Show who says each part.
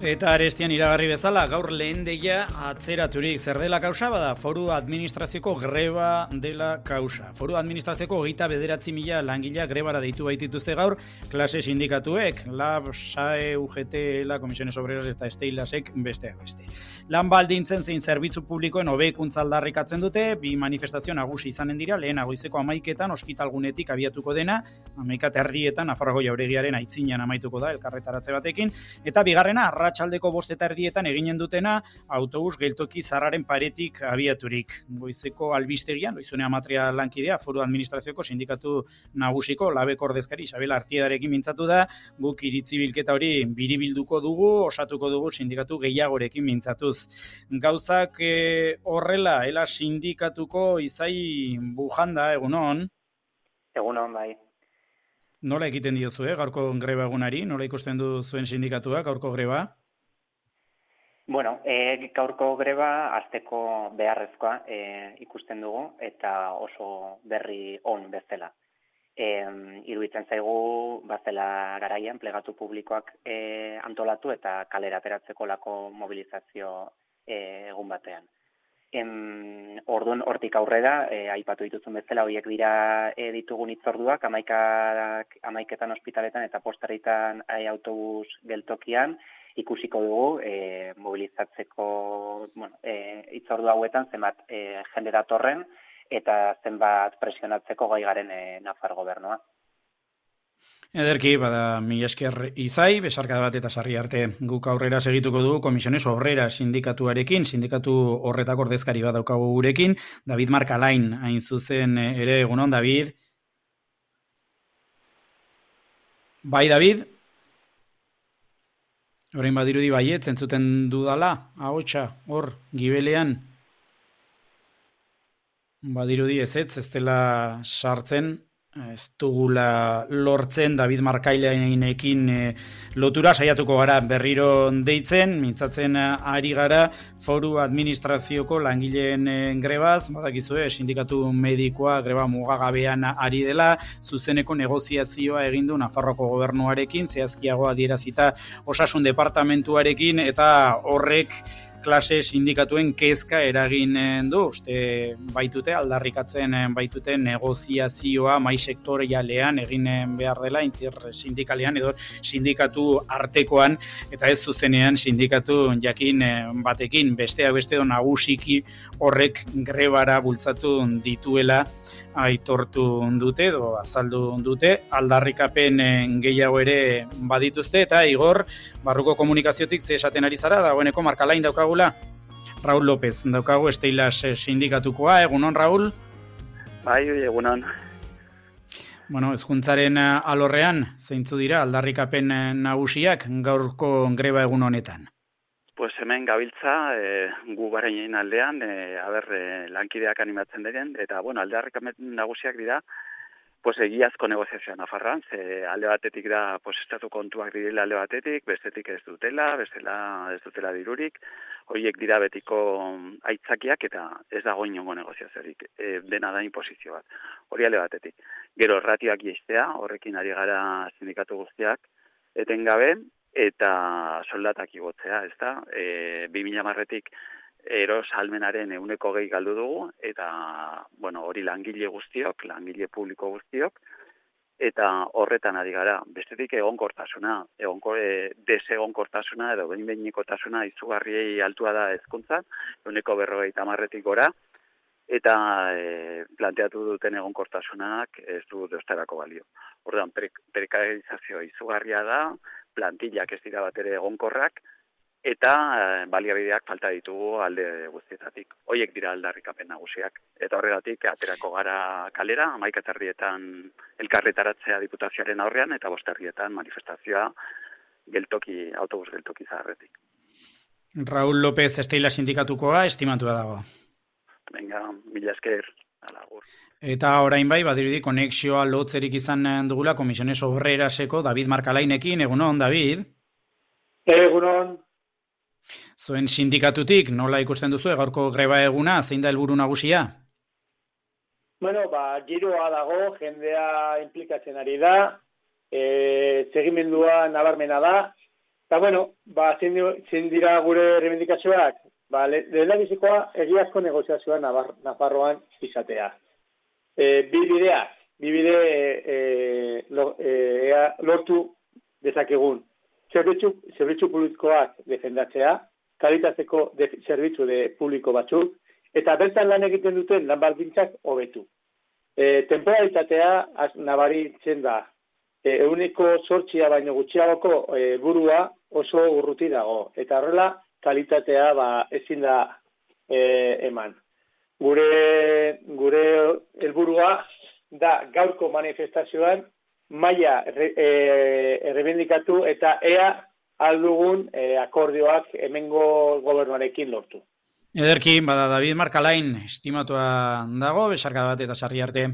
Speaker 1: Eta arestian iragarri bezala, gaur lehen deia atzeraturik. Zer dela kausa bada? Foru administrazioko greba dela kausa. Foru administrazioko 29.000 langilea grebara deitu baitituzte gaur, klase sindikatuek, LAB, SAE, UGT, ELA, Comisiones Obreras eta Steilasek besteak beste. Lan baldintzen zein zerbitzu publikoen hobekuntza aldarrikatzen dute, bi manifestazio nagusi izanen dira, lehena goizeko 11etan ospitalgunetik abiatuko dena, 11:30 Nafarroako Jauregiaren aitzinean amaituko da elkarretaratze batekin, eta bigarrena arratsaldeko 5:00 eginen dutena autobus geltoki zarraren paretik abiaturik. Goizeko albistegian, Loizune Amatria lankidea, Foru Administrazioko sindikatu nagusiko labeko ordezkari Isabel Artiedarekin mintzatu da, guk iritzi bilketa hori biribilduko dugu, osatuko dugu sindikatu gehiagorekin mintzatuz. Gauzak horrela, ela sindikatuko Izai Bujanda, egunon?
Speaker 2: Egunon, bai.
Speaker 1: Nola egiten diozu, gaurko greba egunari? Nola ikusten du zuen sindikatuak gaurko greba?
Speaker 2: Bueno, gaurko greba hasteko beharrezkoa ikusten dugu eta oso berri on bezala. Iruditzen zaigu bazela garaian plegatu publikoak antolatu eta kalera ateratzeko lako mobilizazio egun batean. Orduan hortik aurrera, aipatu dituzun bezala, horiek dira ditugun hitzorduak, 11etan ospitaletan eta postaritan autobus geltokian, ikusiko dugu mobilizatzeko hitzordu hauetan zenbat jende datorren eta zenbat presionatzeko gai garen Nafar gobernua.
Speaker 1: Ederki, bada, mila esker Izai, besarkada bat eta sarri arte guk aurrera segituko dugu Comisiones Obreras sindikatuarekin, sindikatu horretako ordezkari bat daukagu gurekin, David Markalain, hain zuzen ere, egunon, David? Bai, David? Orain badirudi baiet, zentzuten dudala, ahotsa, hor, gibelean. Badirudi ez dela sartzen, ez dugula lortzen David Markailenekin lotura saiatuko gara berriro deitzen, mintzatzen ari gara Foru Administrazioko langileen grebaz, badakizue, sindikatu medikoa greba mugagabean ari dela, zuzeneko negoziazioa egin du Nafarroako gobernuarekin, zehazkiago adierazita Osasun Departamentuarekin, eta horrek klase sindikatuen kezka eragin du, uste baitute, aldarrikatzen baitute negoziazioa mai sektorialean egin behar dela, intersindikalean edo sindikatu artekoan, eta ez zuzenean sindikatu jakin batekin, besteak beste nagusiki horrek grebara bultzatu dituela aitortu dute, edo azaldu dute, aldarrikapen gehiago ere badituzte, eta Igor, barruko komunikaziotik ze esaten ari zara, dagoeneko Markalain daukagula, Raul López daukagu Steilas sindikatukoa, egunon Raul?
Speaker 3: Bai, egunon.
Speaker 1: Bueno, hezkuntzaren alorrean, zeintzu dira aldarrikapen nagusiak gaurko greba egun honetan?
Speaker 3: Pues hemen gabiltza, gu barainen aldean, lankideak animatzen diren, eta aldarrikapen nagusiak dira, egiazko negoziazioa Nafarroan, alde batetik da, estatu kontuak direla alde batetik, bestetik ez dutela dirurik, horiek dira betiko aitzakiak eta ez dago inongo negoziaziorik, dena da inposizio bat, hori alde batetik. Gero ratioak jaistea, horrekin ari gara sindikatu guztiak, etengabe, eta soldatak igotzea, ezta? 2010etik erosalmenaren 20% galdu dugu, eta, hori langile guztiok, langile publiko guztiok, eta horretan ari gara. Bestetik egonkortasuna, desegonkortasuna edo behin-behinekotasuna izugarriei altua da hezkuntzan, 40% gora, eta planteatu duten egonkortasunak ez du deustarako balio. Orduan, prekarizazio izugarria da, plantillak ez dira bat ere egonkorrak, eta baliabideak falta ditugu alde guztietatik. Hoiek dira aldarrikapen nagusiak. Eta horregatik, aterako gara kalera, 11:30 elkarretaratzea diputazioaren aurrean, eta 5:00 manifestazioa autobus geltoki zaharretik.
Speaker 1: Raul López Steilas sindikatukoa, estimatua dago.
Speaker 3: Venga, mila esker, alagur.
Speaker 1: Eta orain bai, badirudi konexioa lotzerik izan dugula Comisiones Obreraseko David Markalainekin, egunon, David?
Speaker 4: Egunon.
Speaker 1: Zuen sindikatutik, nola ikusten duzu, gaurko greba eguna, zein da helburu nagusia?
Speaker 4: Giroa dago, jendea implikatzen ari da, segimendua nabarmena da, Eta, bueno, zein dira gure reivindikazioak? Lehendabizikoa egiazko negoziazioa Nafarroan izatea. Bi bide lortu dezakegun. Zerbitzu publikoak defendatzea, kalitateko zerbitzu publiko batzuk, eta bertan lan egiten duten lan baldintzak hobetu. Temporalitatea nabaritzen da. 8% baino gutxiagoko burua oso urruti dago. Eta horrela, kalitatea ezin da eman. Gure helburua da gaurko manifestazioan maila errebindikatu eta ea aldugun akordioak hemengo gobernuarekin lortu.
Speaker 1: Ederki, David Markalain estimatua dago, besarka bat eta sarri arte.